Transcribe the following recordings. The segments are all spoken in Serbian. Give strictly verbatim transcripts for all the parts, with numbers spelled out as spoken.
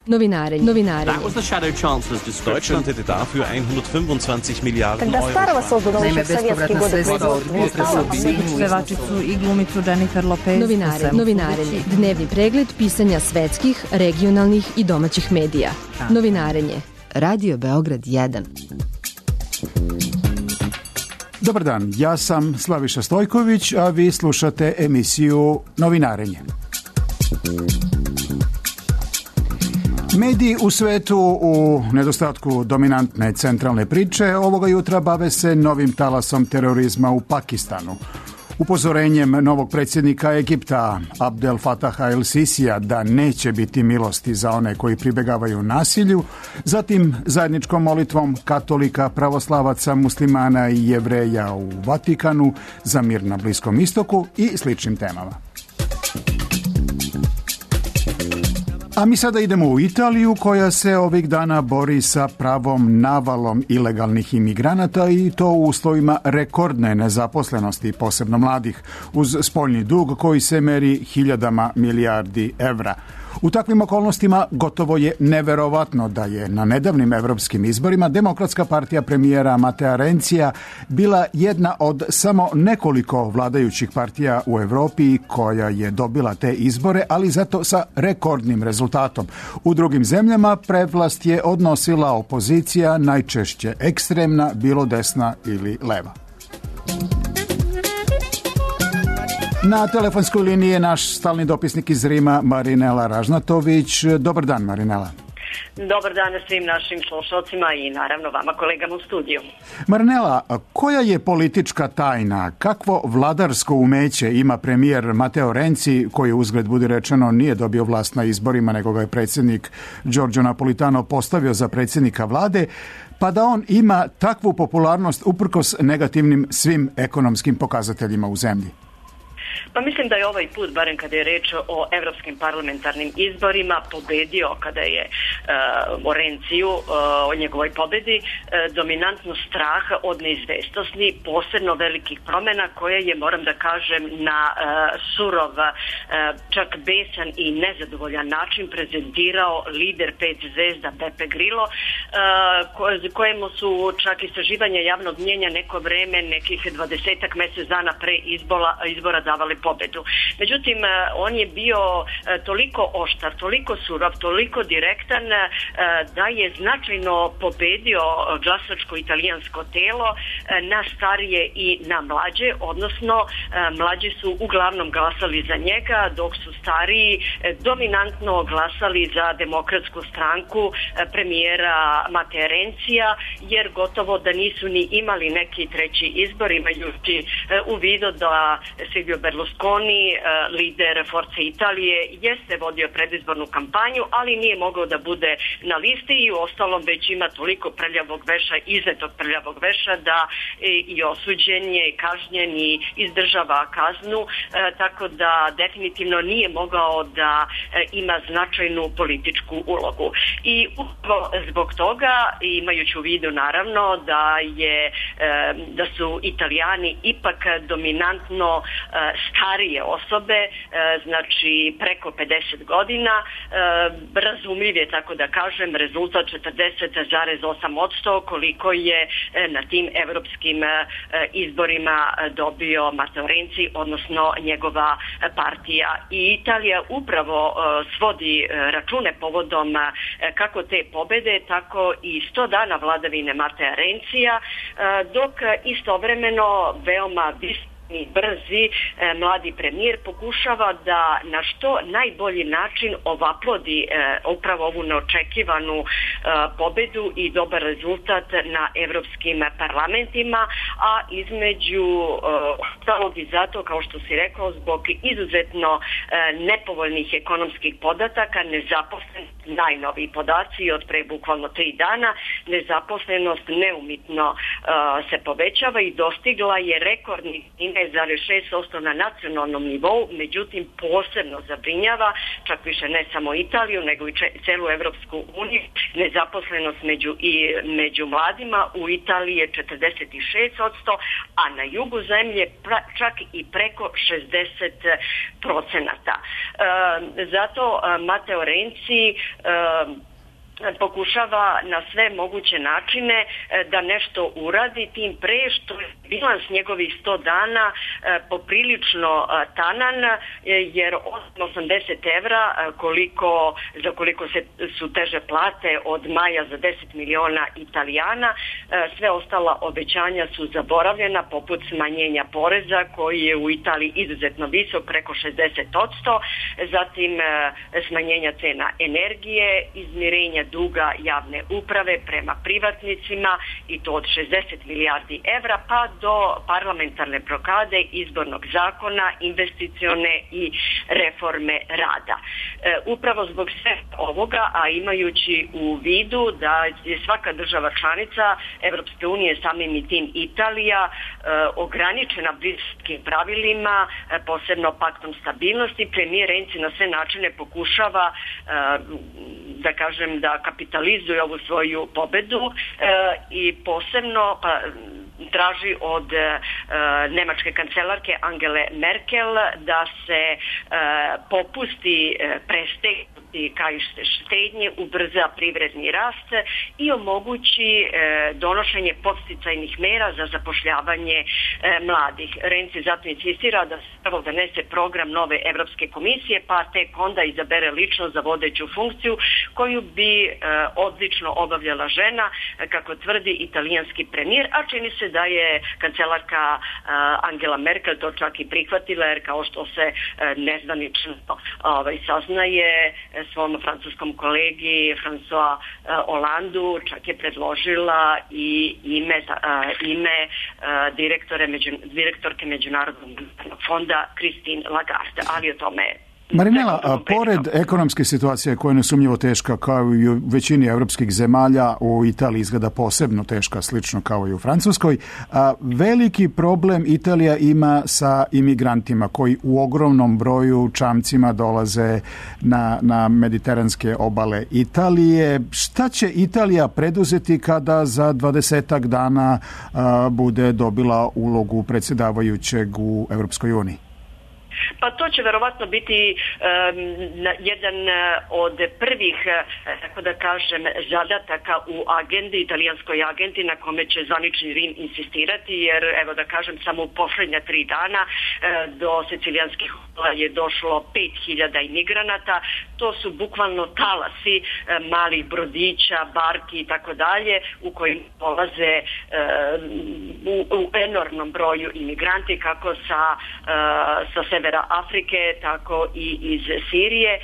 Novinarenje. Novinarenje. That was the shadow chancellor's description. Deutschland hätte dafür hundertfünfundzwanzig Milliarden Euro. Naime, bespovratna sredstva od pevačicu i glumicu Jennifer Lopez. Novinarenje. Novinarenje. Dnevni pregled pisanja svetskih, regionalnih i domaćih medija. Novinarenje. Radio Beograd jedan. Dobar dan, ja sam Slaviša Stojković, a vi slušate emisiju Novinarenje. Mediji u svetu u nedostatku dominantne centralne priče ovoga jutra bave se novim talasom terorizma u Pakistanu. Upozorenjem novog predsjednika Egipta Abdel Fataha el-Sisija da neće biti milosti za one koji pribegavaju nasilju, zatim zajedničkom molitvom katolika, pravoslavaca, muslimana i jevreja u Vatikanu za mir na Bliskom istoku i sličnim temama. A mi sada idemo u Italiju koja se ovih dana bori sa pravom navalom ilegalnih imigranata i to u uslovima rekordne nezaposlenosti, posebno mladih, uz spoljni dug koji se meri hiljadama milijardi evra. U takvim okolnostima gotovo je neverovatno da je na nedavnim evropskim izborima Demokratska partija premijera Matea Renzija bila jedna od samo nekoliko vladajućih partija u Europi koja je dobila te izbore, ali zato sa rekordnim rezultatom. U drugim zemljama prevlast je odnosila opozicija, najčešće ekstremna, bilo desna ili leva. Na telefonskoj liniji je naš stalni dopisnik iz Rima, Marinela Ražnatović. Dobar dan, Marinela. Dobar dan svim našim slušalcima i naravno vama kolegama u studiju. Marinela, koja je politička tajna, kakvo vladarsko umeće ima premijer Mateo Renzi, koji uzgled budi rečeno nije dobio vlast na izborima, nego ga je predsjednik Giorgio Napolitano postavio za predsjednika vlade, pa da on ima takvu popularnost uprkos negativnim svim ekonomskim pokazateljima u zemlji? Pa mislim da je ovaj put, barem kada je reč o evropskim parlamentarnim izborima, pobedio kada je uh, o Renziju, uh, o njegovoj pobedi, uh, dominantno strah od neizvestnosti, posebno velikih promjena koje je, moram da kažem, na uh, surov, uh, čak besan i nezadovoljan način prezentirao lider pet zvezda Beppe Grillo, uh, kojemu su čak istraživanja javnog mnjenja neko vreme, nekih dvadesetak mjesec dana pre izbora, izbora davali pobedu. Međutim, on je bio toliko oštar, toliko surov, toliko direktan da je značajno pobedio glasačko italijansko telo na starije i na mlađe, odnosno mlađi su uglavnom glasali za njega, dok su stariji dominantno glasali za Demokratsku stranku premijera Matea Renzija, jer gotovo da nisu ni imali neki treći izbor, imajući u vidu da Silvio Berlusconi, lider Forze Italije, jeste vodio predizbornu kampanju, ali nije mogao da bude na listi i u ostalom već ima toliko prljavog veša, iznetog prljavog veša, da i osuđen je, kažnjen i izdržava kaznu, tako da definitivno nije mogao da ima značajnu političku ulogu. I upravo zbog toga, imajući u vidu naravno da je da su Italijani ipak dominantno starije osobe, znači preko pedeset godina, razumljiv je, tako da kažem, rezultat četrdeset zarez osam posto koliko je na tim evropskim izborima dobio Matteo Renzi, odnosno njegova partija. I Italija upravo svodi račune povodom kako te pobede, tako i sto dana vladavine Matea Renzija, dok istovremeno veoma visoko i brzi e, mladi premijer pokušava da na što najbolji način ovaplodi e, upravo ovu neočekivanu e, pobedu i dobar rezultat na evropskim parlamentima, a između ostalog i zato, kao što si rekao, zbog izuzetno e, nepovoljnih ekonomskih podataka, nezaposlenost, najnoviji podaci od pre bukvalno tri dana, nezaposlenost neumitno e, se povećava i dostigla je rekordni indeks šest zarez šest posto na nacionalnom nivou, međutim posebno zabrinjava, čak više ne samo Italiju, nego i celu Evropsku uniju, nezaposlenost među, i, među mladima. U Italiji je četrdeset šest posto, a na jugu zemlje pra, čak i preko šezdeset procenata. E, zato Mateo Renzi e, pokušava na sve moguće načine da nešto uradi, tim pre što je bilans njegovih sto dana poprilično tanan, jer osamdeset evra koliko, za koliko se, su teže plate od maja za deset miliona Italijana, sve ostala obećanja su zaboravljena, poput smanjenja poreza koji je u Italiji izuzetno visok, preko šezdeset posto, zatim smanjenja cena energije, izmirenja duga javne uprave prema privatnicima i to od šezdeset milijardi evra, pa do parlamentarne blokade izbornog zakona, investicione i reforme rada. E, upravo zbog sve ovoga, a imajući u vidu da je svaka država članica Evropske unije, samim i tim Italija, e, ograničena briselskim pravilima, e, posebno paktom stabilnosti, premijer Renzi na sve načine pokušava e, da kažem da kapitalizuje ovu svoju pobedu e, i posebno pa, traži od e, nemačke kancelarke Angele Merkel da se e, popusti e, prestegnuti kajište štednje, ubrza privredni rast i omogući e, donošenje podsticajnih mera za zapošljavanje e, mladih. Renzi zato insistira da se prvo donese program nove Evropske komisije, pa tek onda izabere lično za vodeću funkciju koju bi e, odlično obavljala žena, kako tvrdi italijanski premijer, a čini se da je kancelarka e, Angela Merkel to čak i prihvatila, jer kao što se e, nezvanično ovaj, saznaje svom francuskom kolegi François e, Hollandu, čak je predložila i ime, e, ime e, direktore, među, direktorke Međunarodnog fonda Christine Lagarde, ali o tome Marinela, a pored ekonomske situacije koja je nesumnjivo teška kao i u većini evropskih zemalja, u Italiji izgleda posebno teška, slično kao i u Francuskoj, a veliki problem Italija ima sa imigrantima koji u ogromnom broju čamcima dolaze na, na mediteranske obale Italije. Šta će Italija preduzeti kada za dvadesetak dana a, bude dobila ulogu predsjedavajućeg u Evropskoj uniji? Pa to će verovatno biti um, jedan od prvih, tako da kažem, zadataka u agendi, italijanskoj agendi, na kome će zvanični Rim insistirati, jer evo da kažem, samo u posljednja tri dana do sicilijanskih obala je došlo pet hiljada imigranata. To su bukvalno talasi malih brodića, barki i tako dalje, u kojim dolaze u, u enormnom broju imigranti, kako sa, sa severa Afrike, tako i iz Sirije. E,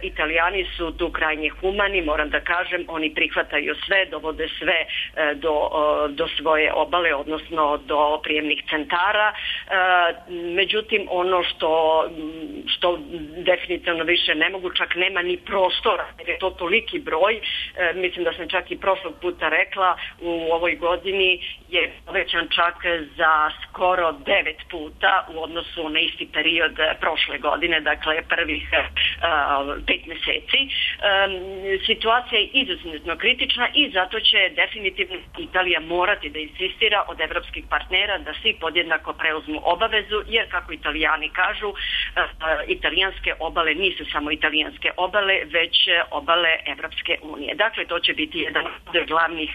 Italijani su tu krajnje humani, moram da kažem, oni prihvataju sve, dovode sve e, do, o, do svoje obale, odnosno do prijemnih centara. E, međutim, ono što, što definitivno više ne mogu, čak nema ni prostora, jer je to toliki broj. E, mislim da sam čak i prošlog puta rekla, u ovoj godini je povećan čak za skoro devet puta u odnosu na isti period prošle godine, dakle prvih uh, pet meseci. Um, situacija je izuzetno kritična i zato će definitivno Italija morati da insistira od evropskih partnera da svi podjednako preuzmu obavezu, jer kako Italijani kažu, uh, italijanske obale nisu samo italijanske obale, već obale Evropske unije. Dakle, to će biti jedan od glavnih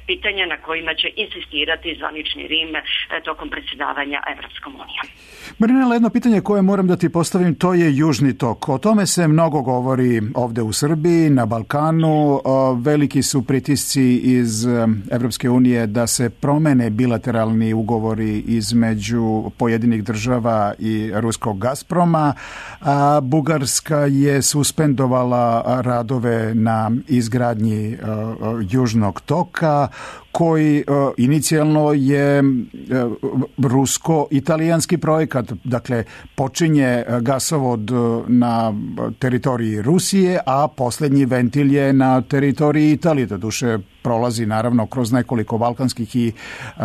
pitanja na kojima će insistirati zvanični Rim uh, tokom predsjedavanja Evropskom unijom. Marinela, jedno pitanje koje moram da ti postavim, to je Južni tok. O tome se mnogo govori ovde u Srbiji, na Balkanu. Veliki su pritisci iz Evropske unije da se promene bilateralni ugovori između pojedinih država i ruskog Gazproma. A Bugarska je suspendovala radove na izgradnji Južnog toka, koji uh, inicijalno je uh, rusko-italijanski projekat, dakle počinje gasovod na teritoriji Rusije, a posljednji ventil je na teritoriji Italije. Doduše prolazi naravno kroz nekoliko balkanskih i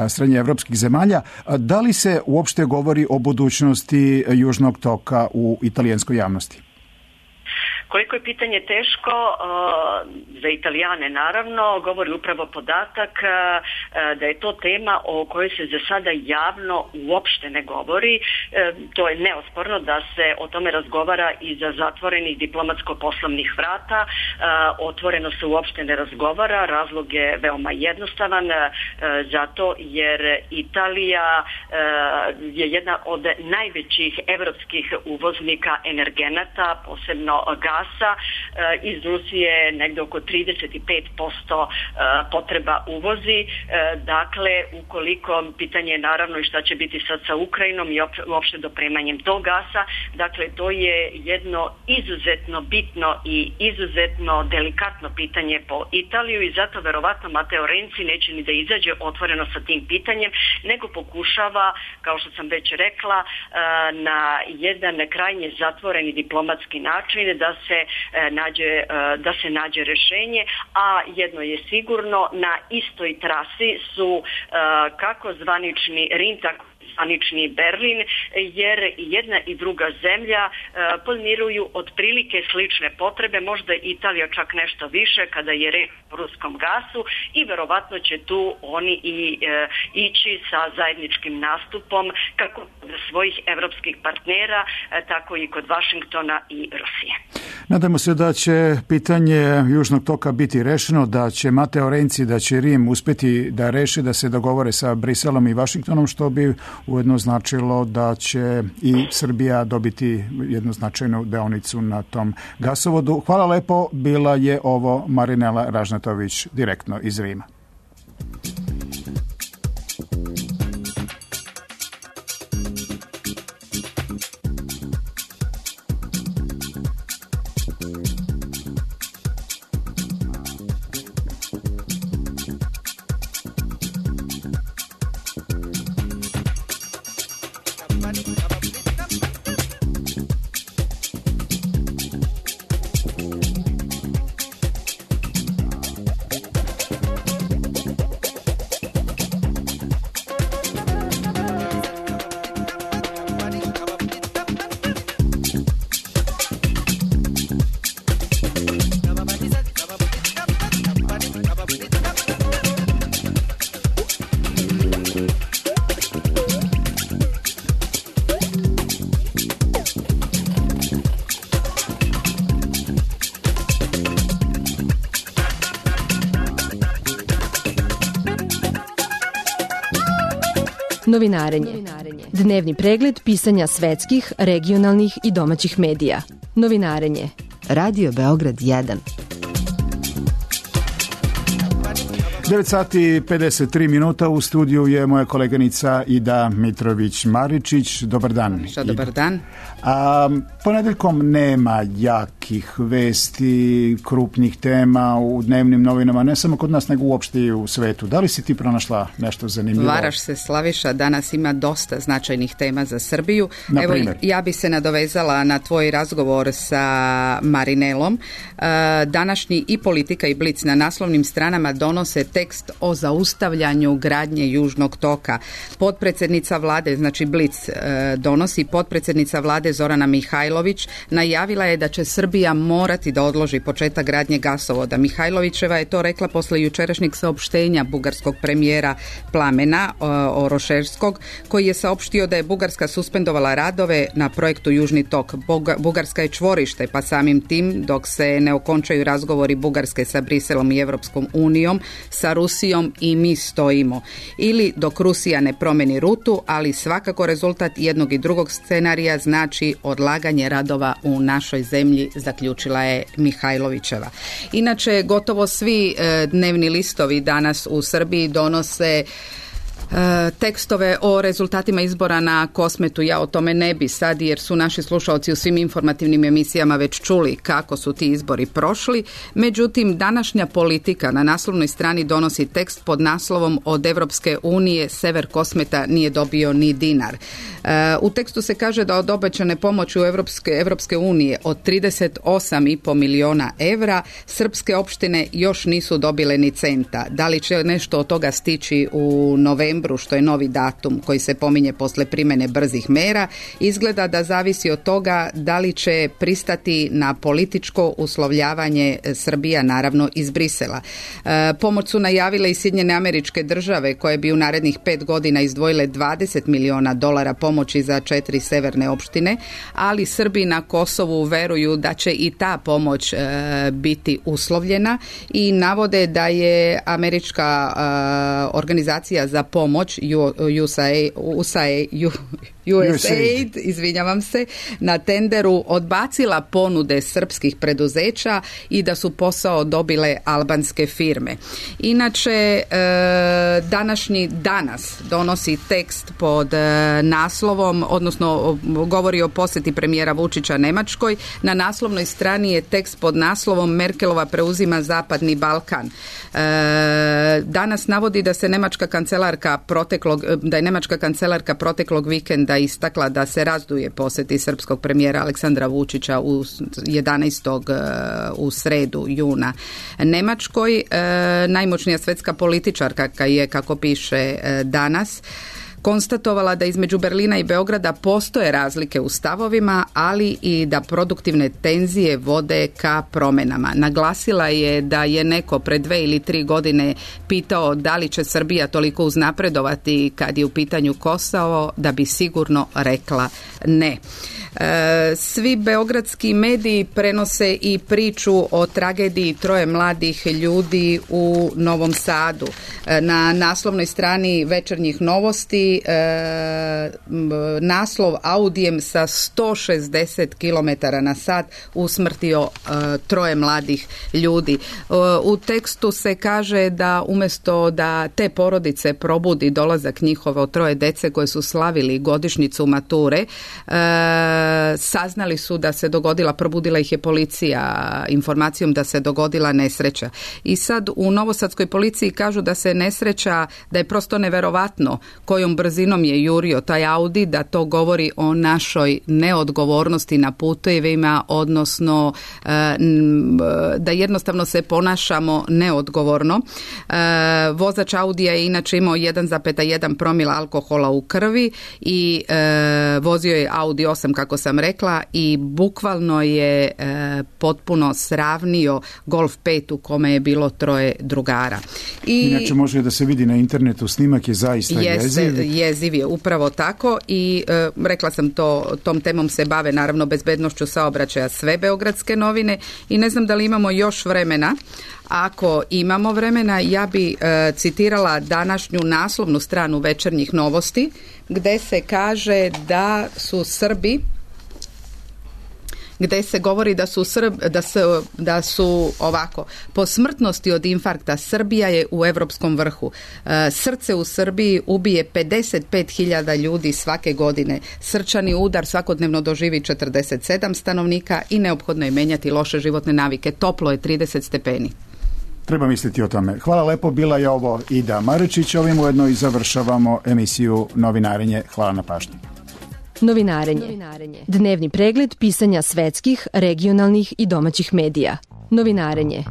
srednjeevropskih zemalja. Da li se uopšte govori o budućnosti Južnog toka u italijanskoj javnosti? Koliko je pitanje teško, za Italijane naravno, govori upravo podatak da je to tema o kojoj se za sada javno uopšte ne govori. To je neosporno da se o tome razgovara iza zatvorenih diplomatsko-poslovnih vrata. Otvoreno se uopšte ne razgovara, razlog je veoma jednostavan, zato jer Italija je jedna od najvećih evropskih uvoznika energenata, posebno gasa. Iz Rusije negdje oko trideset pet posto potreba uvozi. Dakle, ukoliko pitanje je naravno i šta će biti sad sa Ukrajinom i uopšte dopremanjem tog gasa, dakle to je jedno izuzetno bitno i izuzetno delikatno pitanje po Italiju i zato verovatno Matteo Renzi neće ni da izađe otvoreno sa tim pitanjem, nego pokušava, kao što sam već rekla, na jedan krajnje zatvoreni diplomatski način da se nađe, da se nađe rješenje, a jedno je sigurno, na istoj trasi su kako zvanični Rim, tako zvanični Berlin, jer jedna i druga zemlja podmiruju otprilike slične potrebe, možda Italija čak nešto više kada je reč o ruskom gasu i verovatno će tu oni i e, ići sa zajedničkim nastupom kako kod svojih evropskih partnera, e, tako i kod Vašingtona i Rusije. Nadamo se da će pitanje Južnog toka biti rešeno, da će Matteo Renzi, da će Rim uspjeti da reši, da se dogovore sa Briselom i Vašingtonom, što bi ujedno značilo da će i Srbija dobiti jednu značajnu deonicu na tom gasovodu. Hvala lepo, bila je ovo Marinela Ražnatović direktno iz Rima. Novinarenje. Dnevni pregled pisanja svetskih, regionalnih i domaćih medija. Novinarenje. Radio Beograd jedan. devet sati i pedeset tri minuta, u studiju je moja koleganica Ida Mitrović-Maričić. Dobar dan. Što, dobar dan. A, ponedeljkom nema jakih vesti, krupnih tema u dnevnim novinama, ne samo kod nas, nego uopšte i u svetu. Da li si ti pronašla nešto zanimljivo? Varaš se, Slaviša, danas ima dosta značajnih tema za Srbiju. Evo, ja bi se nadovezala na tvoj razgovor sa Marinelom. Današnji i Politika i Blic na naslovnim stranama donose tekst o zaustavljanju gradnje Južnog toka. Potpredsjednica vlade, znači Blic donosi, potpredsjednica vlade Zorana Mihajlović najavila je da će Srbija morati da odloži početak gradnje gasovoda. Mihajlovićeva je to rekla posle jučerašnjeg saopštenja bugarskog premijera Plamena Oroševskog, koji je saopštio da je Bugarska suspendovala radove na projektu Južni tok. Bugarska je čvorište, pa samim tim dok se ne okončaju razgovori Bugarske sa Briselom i Evropskom unijom, sa Rusijom i mi stojimo. Ili dok Rusija ne promeni rutu, ali svakako rezultat jednog i drugog scenarija znači odlaganje radova u našoj zemlji, zaključila je Mihajlovićeva. Inače, gotovo svi e, dnevni listovi danas u Srbiji donose tekstove o rezultatima izbora na Kosmetu. Ja o tome ne bi sad, jer su naši slušalci u svim informativnim emisijama već čuli kako su ti izbori prošli. Međutim, današnja Politika na naslovnoj strani donosi tekst pod naslovom Od Evropske unije Sever Kosmeta nije dobio ni dinar. U tekstu se kaže da od obećane pomoći u Evropske, Evropske unije od trideset osam i po miliona evra srpske opštine još nisu dobile ni centa. Da li će nešto od toga stići u novembru, što je novi datum koji se pominje posle primene brzih mera, izgleda da zavisi od toga da li će pristati na političko uslovljavanje Srbija, naravno iz Brisela. E, pomoć su najavile i Sjedinjene Američke Države, koje bi u narednih pet godina izdvojile dvadeset miliona dolara pomoći za četiri severne opštine, ali Srbi na Kosovu veruju da će i ta pomoć e, biti uslovljena i navode da je američka e, organizacija za pomoć U S A I D, U S A I D, U S A I D, izvinjavam se, na tenderu odbacila ponude srpskih preduzeća i da su posao dobile albanske firme. Inače, e, današnji Danas donosi tekst pod e, naslovom, odnosno govori o posjeti premijera Vučića Nemačkoj. Na naslovnoj strani je tekst pod naslovom Merkelova preuzima Zapadni Balkan. E, Danas navodi da se nemačka kancelarka proteklog, da je nemačka kancelarka proteklog vikenda istakla da se razduje posjeti srpskog premijera Aleksandra Vučića u jedanaestog u sredu juna Nemačkoj. Najmoćnija svetska političarka je, kako piše Danas, konstatovala da između Berlina i Beograda postoje razlike u stavovima, ali i da produktivne tenzije vode ka promjenama. Naglasila je da je neko pre dve ili tri godine pitao da li će Srbija toliko uznapredovati kad je u pitanju Kosovo, da bi sigurno rekla ne. E, svi beogradski mediji prenose i priču o tragediji troje mladih ljudi u Novom Sadu. E, na naslovnoj strani Večernjih novosti e, naslov Audijem sa sto šezdeset kilometara na sat usmrtio e, troje mladih ljudi. E, u tekstu se kaže da umjesto da te porodice probudi dolazak njihovo troje dece koje su slavili godišnjicu mature, e, saznali su da se dogodila, probudila ih je policija informacijom da se dogodila nesreća. I sad u novosadskoj policiji kažu da se nesreća, da je prosto neverovatno kojom brzinom je jurio taj Audi, da to govori o našoj neodgovornosti na putevima, odnosno da jednostavno se ponašamo neodgovorno. Vozač Audija je inače imao jedan zarez jedan promila alkohola u krvi i vozio je Audi osam, kako sam rekla, i bukvalno je e, potpuno sravnio Golf pet u kome je bilo troje drugara. I inače može da se vidi na internetu, snimak je zaista jeste, jeziv. Jeziv je, upravo tako i e, rekla sam to, tom temom se bave naravno bezbednošću saobraćaja sve beogradske novine i ne znam da li imamo još vremena. Ako imamo vremena, ja bi e, citirala današnju naslovnu stranu Večernjih novosti, gde se kaže da su Srbi gde se govori da su, Srb, da su, da su ovako, po smrtnosti od infarkta Srbija je u evropskom vrhu. E, srce u Srbiji ubije pedeset pet hiljada ljudi svake godine. Srčani udar svakodnevno doživi četrdeset sedam stanovnika i neophodno je menjati loše životne navike. Toplo je trideset stepeni. Treba misliti o tome. Hvala lepo, bila je ovo Ida Marečić. Ovim ujedno i završavamo emisiju Novinarenje. Hvala na pažnji. Novinarenje. Dnevni pregled pisanja svetskih, regionalnih i domaćih medija. Novinarenje.